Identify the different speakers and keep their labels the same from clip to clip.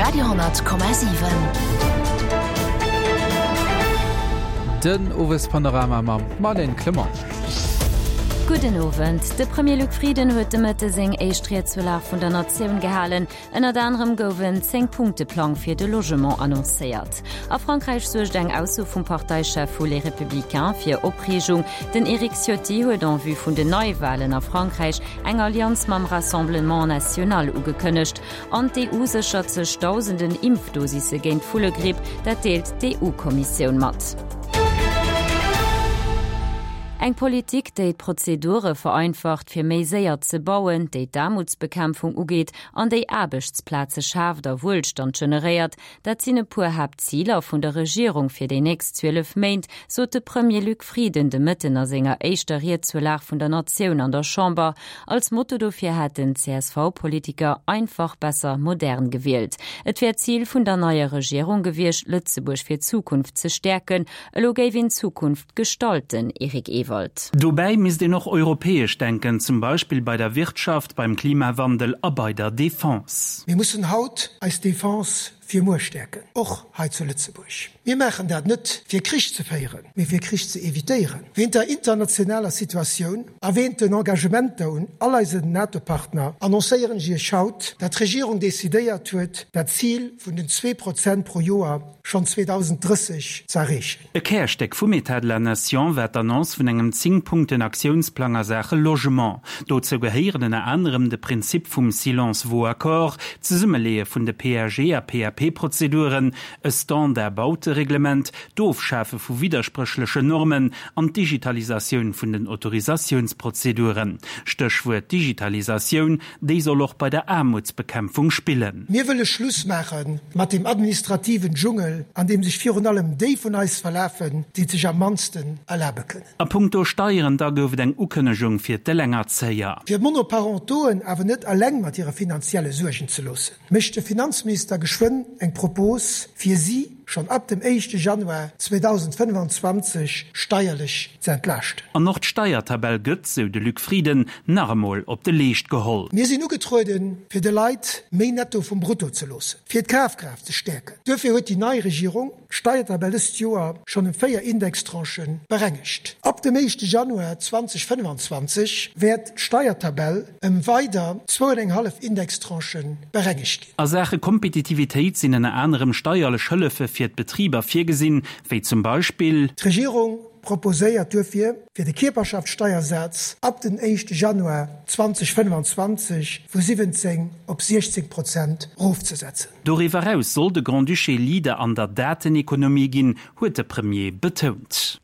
Speaker 1: Radio,7.
Speaker 2: Den Owespanorama mam Marlène Clement.
Speaker 3: Gudden Owend. De Premier Luc Frieden huet de Mëtte seng éischt Ried zur Lag vun der Natioun gehalen. Ënnert anerem gouf en Zéng-Punkte-Plang fir de Logement annoncéiert. A Frankräich suergt eng Ausso vum Parteichef vu Les Républicains fir Opreegung. Den Eric Ciotti huet en vue vun den Neiwalen a Frankräich eng Allianz mam Rassemblement National ugekënnegt. An d'EU séchert sech dausenden Impfdosisse géint d'Vullegripp, dat deelt d'EU-Kommissioun mat. Eng Politik, déi d'Prozedure vereinfacht, fir méi séier ze bauen, déi d'Aarmutsbekämpfung ugeet an déi Aarbechtsplaze schaaft a Wuelstand generéiert, dat sinn e puer Haaptziler vun der Regierung fir déi nächst 12 Méint, sot de Premier Luc Frieden de Mëtten a senger éischter Ried zur Lag vun der Natioun an der Chamber. Als Motto dofir hat den CSV-Politiker Einfach, besser, modern gewielt. Et wär d'Zil vun der neier Regierung gewiescht, Lëtzebuerg fir d'Zukunft ze stäerken. Elo géif een d'Zukunft gestalten, Eric Ewald.
Speaker 4: Dobäi misst een och europäesch denken, zum Beispill bei der Wirtschaft, beim Klimawandel a bei der Defense.
Speaker 5: Mir mussen haut eis Defense fir muer stäerken, och hei zu Lëtzebuerg. Mir maachen dat net fir Krich ze féieren, mee fir Krich ze evitéieren. Wéint der internationaler Situatioun a wéint den Engagementer un all eisen NATO-Partner annoncéieren ech Iech haut, dat d'Regierung decidéiert huet, dat Zil vun den 2% pro Joer schonn 2030 ze erreechen.
Speaker 4: E Kärstéck vum État de la Nation war d'Annonce vun engem Zéng-Punkten-Aktiounsplang a Saache Logement. Dozou gehéieren ënner anerem de Prinzip vum Silence vaut accord, d'Zesummeleeë vun de PAG a PAP-Prozeduren, e Standard-Bautereglement, d'Ofschafe vu widderspréchlechen Normen an d'Digitalisatioun vun den Autorisatiounsprozeduren. Stéchwuert Digitalisatioun, Déi soll och bei der Aarmutsbekämpfung spillen.
Speaker 5: Mir wëlle Schluss maache mat deem administrativen Dschungel, an deem sech virun allem déi vun eis verlafen, déi et sech am mannsten erlabe kënnen.
Speaker 4: A punkto Steieren da gouf et eng Ukënnegung fir d'Elengerzéier.
Speaker 5: Fir d'Monoparentoen awer net eleng mat hire finanzielle Suergen ze loossen, mécht de Finanzminister geschwënn eng Propos, fir si schonn ab dem éischte Januar 2025 steierlech ze entlaaschten.
Speaker 4: An och d'Steiertabell gëtt, sou de Luc Frieden, nach emol op de Leescht geholl.
Speaker 5: Mir sinn ugetrueden, fir de Leit méi Netto vum Brutto ze loossen, fir d'Kafkraaft ze stäerken. Duerfir huet déi nei Regierung d'Steiertabell dëst Joer schonn ëm 4 Indextranchë berengegt. Ab dem éischte Januar 2025 wäert d'Steiertabell ëm weider zwou an eng hallef Indextranchë berengegt ginn.
Speaker 4: A Saache Kompetitivitéit sinn ënner anerem steierlech Hëllefe fir d'Betriber virgesinn, wéi zum Beispill.
Speaker 5: D'Regierung proposéiert duerfir, fir de Kierperschaftssteiersaz ab den éischte Januar 2025 vu 17 op 16 Prozent erofzesetzen.
Speaker 4: Doriwwer eraus soll de Grand-Duché Leader an der Datenekonomie ginn, huet de Premier betount.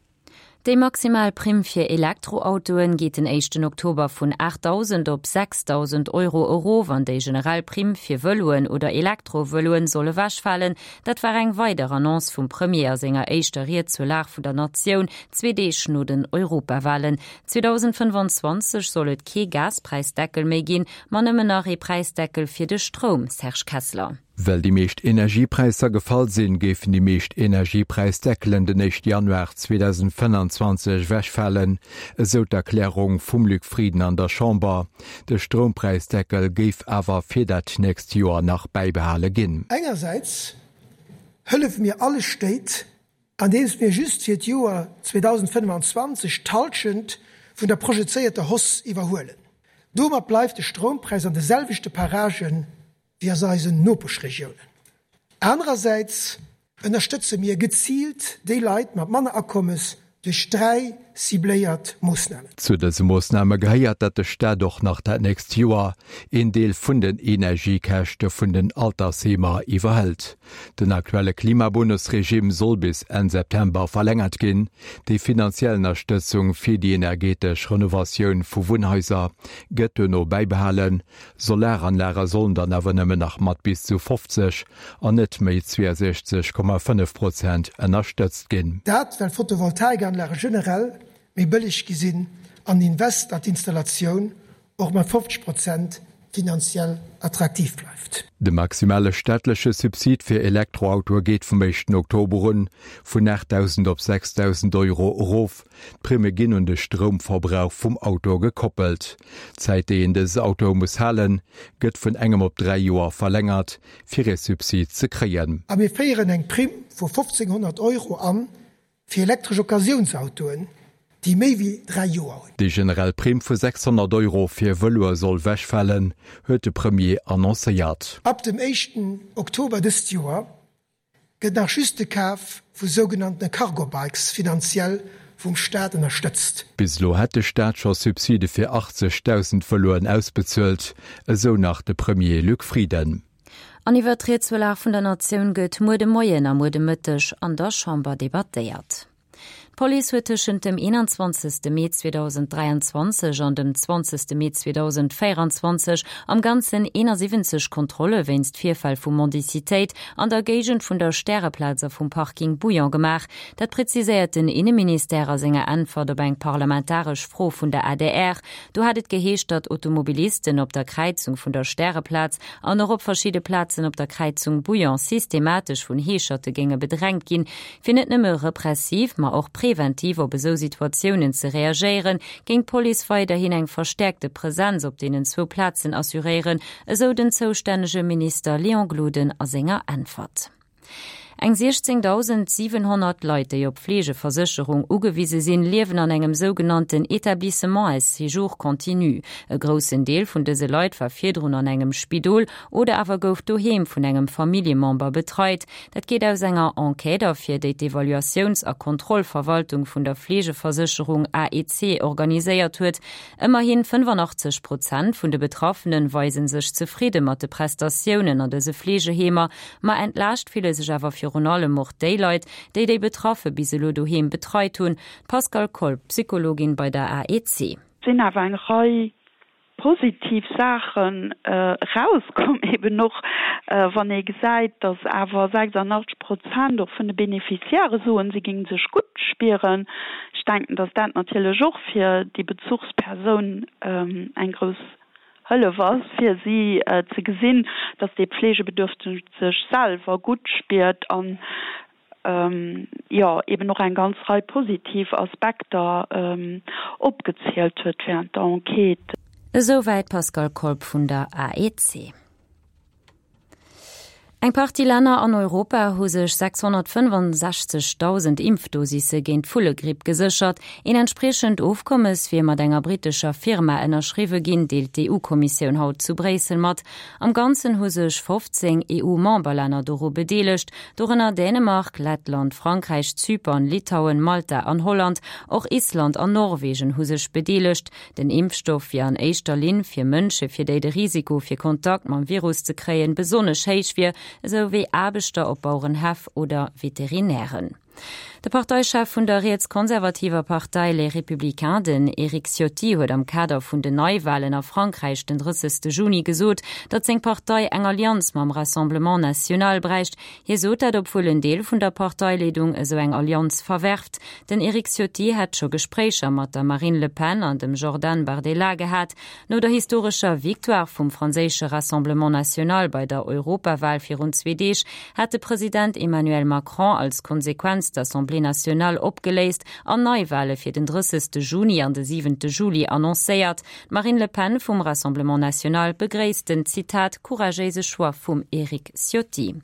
Speaker 3: Déi maximal Primm fir Elektroautoen geet den éischten Oktober vun 8.000 op 6.000 Euro erof an déi generell Primm fir Vëloen oder Elektrovëloen soll ewechfalen. Dat war eng weider Annonce vum Premier a senger éischter Ried zur Lag vun der Natioun, zwee Deeg no den Europawalen. 2025 soll et kee Gaspräisdeckel méi ginn, ma nëmmen nach ee Präisdeckel fir de Stroum, Serge Kessler.
Speaker 6: Well déi meescht Energiepräisser gefall sinn, géifen déi meescht Energiepräisdeckelen den éischte Januar 2025 ewechfalen, esou d'Erklärung vum Luc Frieden an der Chamber. De Stroumpräisdeckel géif awer fir dat nächst Joer nach bäibehale ginn.
Speaker 5: Engersäits hëllefe mir alle Stéit, andeems mir just fir d'Joer 2025 d'Hallschent vun der projezéierter Hausse iwwerhuelen. Domat bleift de Stroumpräis an de selwechte Paragen wéi aus eisen Nopeschregiounen. Anerersäits ënnerstëtze mir geziilt déi Leit mat manner Akommes duerch 3 cibléiert Moossnamen.
Speaker 6: Zu dëse Moossname gehéiert, datt de Staat och nach dat nächst Joer een Deel vun den Energiekäschte vun den Altersheemer iwwerhëlt. Den aktuelle Klimabonus-Regime soll bis Enn September verlängert ginn. Déi finanziell Ënnerstëtzung fir déi energetesch Renovatioun vu Wunnhaiser gëtt duerno bäibehalen. Solaranlage sollen dann awer nëmmen nach mat bis zu 50 an net méi 62,5 Prozent ënnerstëtzt ginn.
Speaker 5: Dat well Photovoltaikanlage generell méi bëlleg gi sinn an den Invest an d'Installatioun och mat 50 Prozent. finanziell attraktiv bleift.
Speaker 6: De maximale staatleche Subsid fir Elektroautoe geet vum éischten Oktober un vun 8.000 op 6.000 Euro erof. D'Primme ginn un de Stroumverbrauch vum Auto gekoppelt. D'Zäit, déi een dës Autoe muss halen, gëtt vun engem op 3 Joer verlängert, fir ee Subsid ze kréien.
Speaker 5: A mir féieren eng Primm vu 1.500 Euro an, fir elektresch Occasiounsautoen, déi méi wéi 3 Joer hunn.
Speaker 6: Déi generell Primm vu 600 Euro fir Vëloe soll wechfalen, huet de Premier annoncéiert.
Speaker 5: Ab dem éischten Oktober dëst Joer gëtt nach just de Kaf vu sougenanntene Cargo-Bikes finanziell vum Staat ënnerstëtzt.
Speaker 6: Bis elo hätt de Staat scho Subside fir 80.000 Vëloen ausbezuelt, esou nach de Premier Luc Frieden.
Speaker 3: An iwwert d'Ried zur Lag vun der Natioun gëtt muer de Moien a muer de Mëtteg an der Chamber debattéiert. D'Police huet tëschent dem 21 Mee 2023 an dem 20 Mee 2024 am Ganzen 71 Kontrolle wéinst Virfäll vu Mendicitéit an der Géigend vun der Stäreplaz a vum Parking Bouillon gemaach. Dat preziséiert den Inneministère a senger Äntwert op eng parlamentaresch Fro vun der adr. Do hat et geheescht, datt Automobilisten op der Kräizung vun der Stäreplaz an och op verschidde Plazen op der Kräizung Bouillon systematesch vun Heescherte géinge bedrängt ginn. Fir net nëmme repressiv, ma och preventiv op esou Situatiounen ze reagéieren, géing d'Police weiderhin eng verstäerkte Presenz op deenen zwou Plazen assuréieren, esou den zoustännege Minister Léon Gloden a senger Äntwert. Eng 16.700 Leit, déi op Fleegeversécherung ugewise sinn, liewen an engem sougenannten Établissement à séjour continu. E groussen Deel vun dëse Leit war virdrun an engem Spidol oder awer gouf doheem vun engem Familljemember betreit. Dat geet aus enger Enquête ervir, déi d'Evaluatiouns a Kontrollverwaltung vun der Fleegeversécherung AEC organiséiert huet. Ëmmerhi 85 Prozent vun de Betraffene weise sech zefridde mat de Prestatiounen an dëse Fleegeheemer. Ma entlaascht fille sech awer virun allem och déi Leit, déi déi Betraffe bis elo doheem betreit hunn. D'Pascale Kolb, Psychologin bei der AEC.
Speaker 1: Et sinn awer eng Rei positiv Saachen erauskomm, eben och wann ee gesäit, datt awer 86 Prozent och vun de Beneficiairë soen, si géinge sech gutt spieren. Ech denken, datt dat natierlech och fir déi Bezuchspersoun eng grouss Hëllef ass, fir si ze gesinn, datt dee Pflegebedürftege sech selwer gutt spiert an jo eben och eng ganz Rei positiv Aspekter opgezielt huet während der Enquête.
Speaker 3: Esouwäit d'Pascale Kolb vun der AEC. Eng Partie Länner an Europa hu sech 665.000 Impfdosisse géint d'Vullegripp geséchert. Een entspriechend Ofkommes wier mat enger brittescher Firma ënnerschriwwe ginn, deelt d'EU-Kommissioun haut zu Bréissel mat. Am Ganzen hu sech 15 EU-Memberlänner doru bedeelegt, dorënner Dänemark, Lettland, Frankräich, Zypern, Litauen, Malta an Holland. Och Island an Norwegen hu sech bedeelegt. Den Impfstoff wier an éischter Linn fir Mënsche fir déi de Risiko fir Kontakt mam Virus ze kréien besonnesch héich wier, esou wéi Aarbechter op Bauerenhäff oder Veterinären. De Parteichef vun der rietskonservativer Partei Les Républicains, den Eric Ciotti, huet am Kader vun den Neiwalen a Frankräich den 30. Juni gesot, datt seng Partei eng Allianz mam Rassemblement National bräicht. Hie sot dat, obwuel en Deel vun der Parteileedung esou eng Allianz verwerft. Den Eric Ciotti hätt scho Gespréicher mat der Marine Le Pen an dem Jordan Bardella gehat. No der historescher Victoire vum franséische Rassemblement National bei der Europawal virun zwee Deeg hat de President Emmanuel Macron als Konsequenz d'Assemblée nationale opgeléist an Neiwale fir den 30. Juni an de 7. Juli annoncéiert. D'Marine Le Pen vum Rassemblement National begréisst den, Zitat, couragéise Choix vum Eric Ciotti.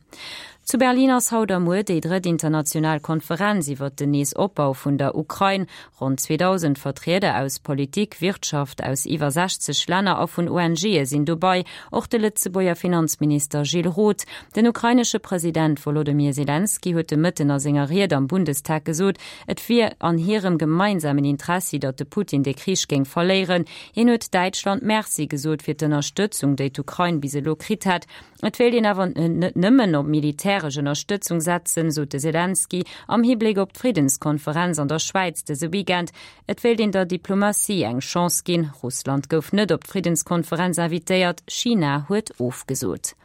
Speaker 3: Zu Berlin ass haut a muer déi drëtt international Konferenz iwwert den Neesopbau vun der Ukrain. Ronn 2.000 Vertrieder aus Politik, Wirtschaft, aus iwwer 60 Länner a vun ONGe sinn dobei, och de Lëtzebuerger Finanzminister Gilles Roth. Den ukrainesche President Wolodymyr Selenskyj huet de Mëtten a senger Ried am Bundestag gesot, et wier an hirem gemeinsamen Interessi, datt de Putin de Krich géing verléieren. Hien huet Däitschland Merci gesot fir d'Ënnerstëtzung, déi d'Ukrain bis elo kritt hätt. Et wéilt een awer net nëmmen op militäresch Ënnerstëtzung setzen, sot de Selenskyj am Hibléck op d'Friddenskonferenz an der Schwäiz dëse Weekend. Et wéilt een der Diplomatie eng Chance ginn. Russland gouf net op d'Friddenskonferenz invitéiert, China huet ofgesot.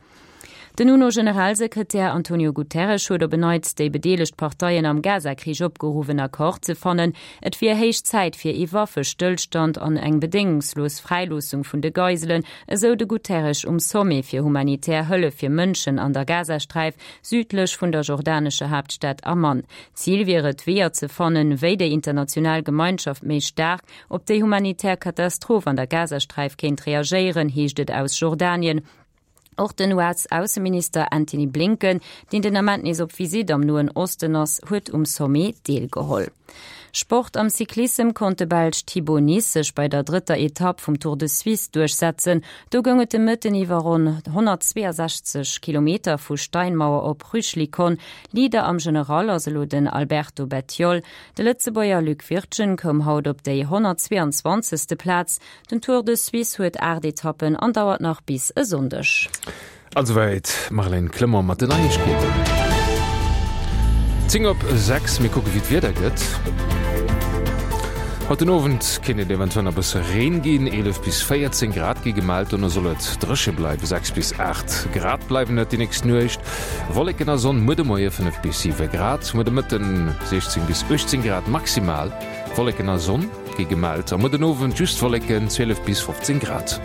Speaker 3: Den UNO-Generalsekretär Antonio Guterres huet op en Neits déi bedeelegt Parteien am Gaza-Krich opgeruff, en Accord ze fannen. Et wier héich Zäit fir ee Waffestëllstand an eng bedéngungslos Fräiloossung vun de Geiselen, esou de Guterres um Sommet fir humanitär Hëllef fir Mënschen an der Gazasträif, südlech vun der jordanescher Haaptstad Amman. Zil wier et, Weeër ze fannen, wéi déi international Gemeinschaft méi staark op déi humanitär Katastroph an der Gazasträif kéint reagéieren, heescht et aus Jordanien. Och den US-Ausseminister Antony Blinken, deen den Ament nees op Visitt am Noen Osten ass, huet um Sommet deelgeholl. Sport, Am Cyclissem konnt de Belsch Thibau Nys sech bei der drëtter Etapp vum Tour de Suisse duerchsetzen. Do goung et de Mëtten iwwer ronn 162 Kilometer vu Steinmauer op Rüschlikon. Leader am General ass elo den Alberto Bettiol. De Lëtzebuerger Luc Wirtgen koum haut op déi 122. Plaz. Den Tour de Suisse huet 8 Etappen an dauert nach bis e Sonndeg.
Speaker 7: An esouwäit d'Marlène Clement mat den Neiegkeeten. 10 op 6, mir kucke wéi d'Wieder gëtt. Haut den Owend kéint et eventuell nach e bësse Reen ginn, 11 bis 14 Grad gi gemellt. Dono soll et dréche bleiwen, 6 bis 8 Grad bleiwen et déi nächst Nuecht. Wolleken a Sonn, muer de Moie 5 bis 7 Grad, muer de Mëtten 16 bis 18 Grad maximal. Wolleken a Sonn gi gemellt a muer den Owend just Wolleken, 12 bis 15 Grad.